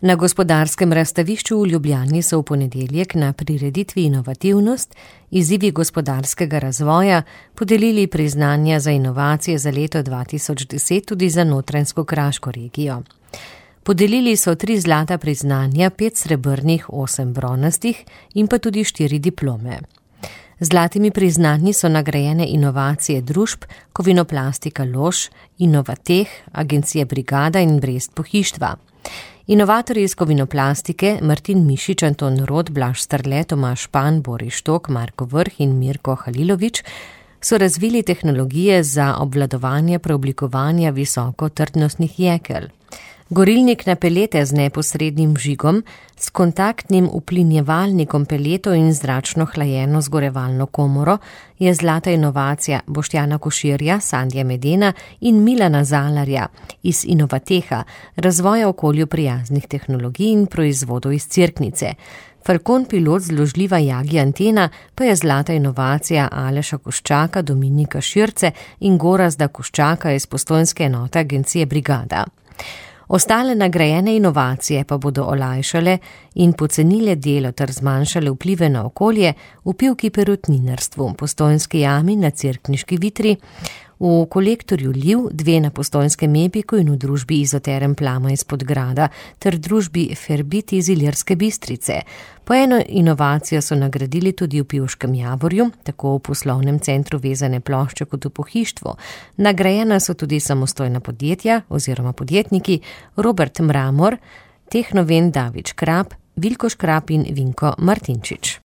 Na gospodarskem razstavišču v Ljubljani so v ponedeljek na prireditvi Inovativnost, izzivi gospodarskega razvoja podelili priznanja za inovacije za leto 2010 tudi za Notranjsko-Kraško regijo. Podelili so 3 zlata priznanja, 5 srebrnih, 8 bronastih in pa tudi 4 diplome. Zlatimi priznanji so nagrajene inovacije družb Kovinoplastika Lož, Inovateh, Agencija Brigada in Brest Pohištva. Inovatorji iz Kovinoplastike Martin Mišič, Anton Rot, Blaž Strle, Tomaž Špan, Boris Štok, Marko Vrh in Mirko Halilović so razvili tehnologije za obvladovanje preoblikovanja visokotrdnostnih jekel. Gorilnik na pelete z neposrednim vžigom, s kontaktnim uplinjevalnikom peletov in zračno hlajeno zgorevalno komoro je zlata inovacija Boštjana Koširja, Sandija Medena in Milana Zalarja iz Inovateha, razvoja okolju prijaznih tehnologij in proizvodov iz Cerknice. Falcon pilot zložljiva Jagi antena pa je zlata inovacija Aleša Koščaka, Dominika Širce in Gorazda Koščaka iz postojnske enote Agencije Brigada. Ostale nagrajene inovacije pa bodo olajšale in pocenile delo ter zmanjšale vplive na okolje v Pivki perutninarstvu, Postojnski jami na Cerkniški vitri, v kolektorju Liv, 2 na Postojnskem Epiku in v družbi Izoterem Plama iz Podgrada ter družbi Ferbit iz Ilirske Bistrice. Po eno inovacijo so nagradili tudi v Pivškem Javorju, tako v poslovnem centru vezane plošče kot v pohištvu. Nagrajena so tudi samostojna podjetja oziroma podjetniki Robert Mramor, Tehnoven David Škrab, Vilko Škrab in Vinko Martinčič.